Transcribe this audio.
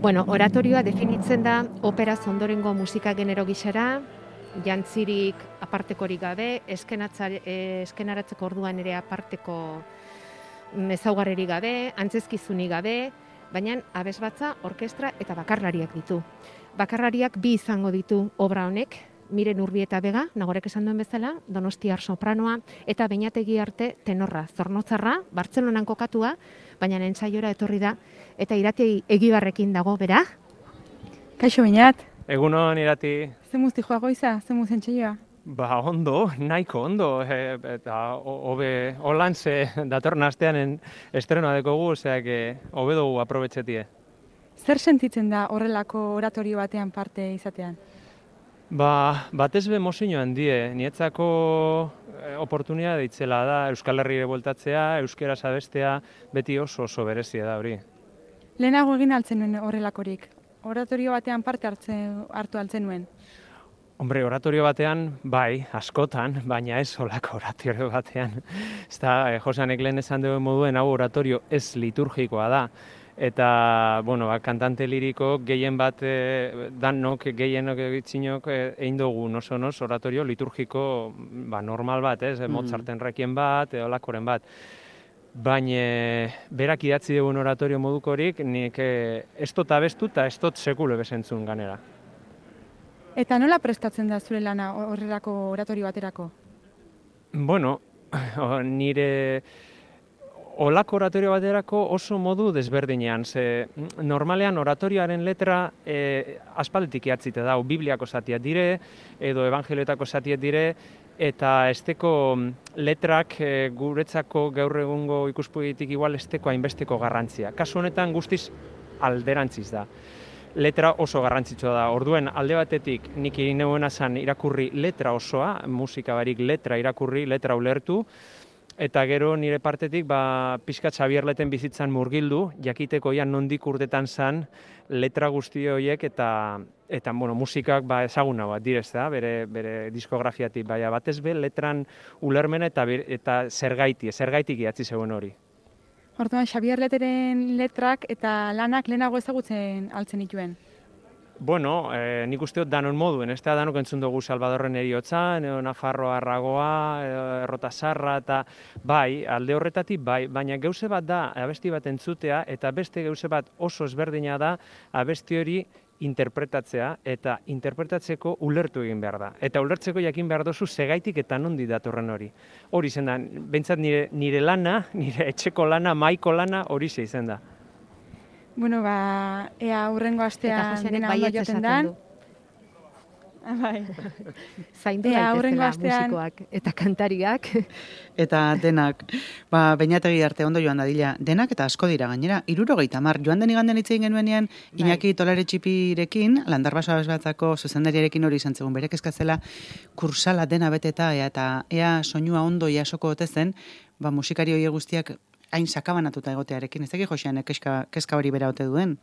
Bueno, oratorioa definitzen da operaz ondorengo musika genero gisara, jantzirik apartekorik gabe, eskenaratzeko orduan ere aparteko ezaugarririk gabe, antzezkizunik gabe, baina abesbatza, orkestra eta bakarlariak ditu. Bakarlariak bi izango ditu obra honek, Miren Urbieta Bega, Nagorek esan duen bezala, Donostiar sopranoa, eta Beñategi Arte tenorra, Zornotzarra, Bartzelonan kokatua, baina entzaiora etorri da, eta Irati Egibarrekin dago, bera? Kaixo, Beñat. Egunon, Irati. Ze muzti joa goiza, ze muzen txeioa? Ba, ondo, nahiko ondo, eta hobe holantze datorren astean estrenoa dekogu, oseak hobe dugu aprobetxetie. Zer sentitzen da horrelako oratorio batean parte izatean? Ba, batez be mozio handie, nietzako oportunidade itzela da, Euskal Herrire bueltatzea, euskeraz abestea, beti oso berezia da hori. Lehenago egin altzen nuen horrelakorik, oratorio batean parte hartu altzen nuen. Hombre, oratorio batean, bai, askotan, baina ez holako oratorio batean. Ez da, Josanek lehen esan duen moduen, hau oratorio ez liturgikoa da. Eta, bueno, kantante liriko gehien bat, danok, gehienok egitzinok egin dugu oso oratorio liturgiko normal bat, Mozarten rekien bat, olakoren bat. Baina berak idatzi dugun oratorio modukorik, nik ez dut abestu eta ez dut sekule bezentzun ganera. Eta nola prestatzen da zure lana horrelako oratorio baterako? Bueno, nire olako oratorio baterako oso modu desberdinean. Normalean oratorioaren letra aspalditik idatzita da, Bibliako zatiak dire, edo evangelioetako zatiak dire, eta esteko letrak guretzako gaur egungo ikuspegitik igual esteko hainbesteko garrantzia. Kasu honetan guztiz alderantziz da. Letra oso garrantzitsua da. Orduen alde batetik nik egin neuena zen irakurri letra osoa, musika barik letra irakurri, letra ulertu, eta gero nire partetik pixka Xabierleten bizitzan murgildu, jakiteko nondik urtetan zen letra guzti horiek eta musikak ezaguna bat direz da, bere diskografiatik, batez be letran ulermena eta zergaitik idatzi zegoen hori. Orduan, Xabierleteren letrak eta lanak lehenago ezagutzen altzen dituen? Bueno, nik uste dut danon moduen, ez da danok entzun dugu Salvadorren Heriotzan, Nafarroa Arragoa, Errotasarra, eta bai, alde horretatik bai, baina gauze bat da abesti bat entzutea, eta beste gauze bat oso ezberdina da abesti hori interpretatzea, eta interpretatzeko ulertu egin behar da. Eta ulertzeko jakin behar dozu segaitik eta nondi datorren hori. Hori zen da, behintzat nire lana, nire etxeko lana, maiko lana, hori ze izan da. Bueno, ea hurrengo astean dena ondo joten dan. Bai. Zaindu daitezela musikoak eta kantariak. Eta denak, Beñategi Arte ondo joan dadila, denak eta asko dira gainera, 70, joan den igandean hitz egin genuenean, Iñaki Tolare Txipirekin, Landarbaso abesbatzako zuzendariarekin hori izan zegoen, berek eskatzela kursala dena beteta, eta ea soinua ondo jasoko ote zen, musikari horiek guztiak hain sakabanatuta egotearekin, ez dakit Josean kezka hori bera ote duen?